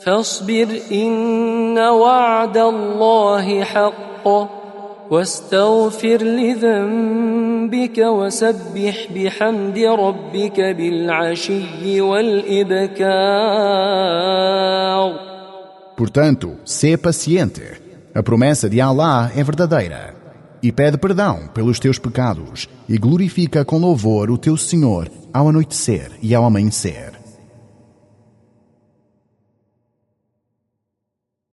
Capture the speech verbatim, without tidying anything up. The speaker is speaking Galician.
فاصبر إن وعد الله حق واستغفر لذنبك وسبح بحمد ربك بالعشي والإبكار. Portanto, sê paciente. A promessa de Allah é verdadeira. E pede perdão pelos teus pecados e glorifica com louvor o teu Senhor ao anoitecer e ao amanhecer.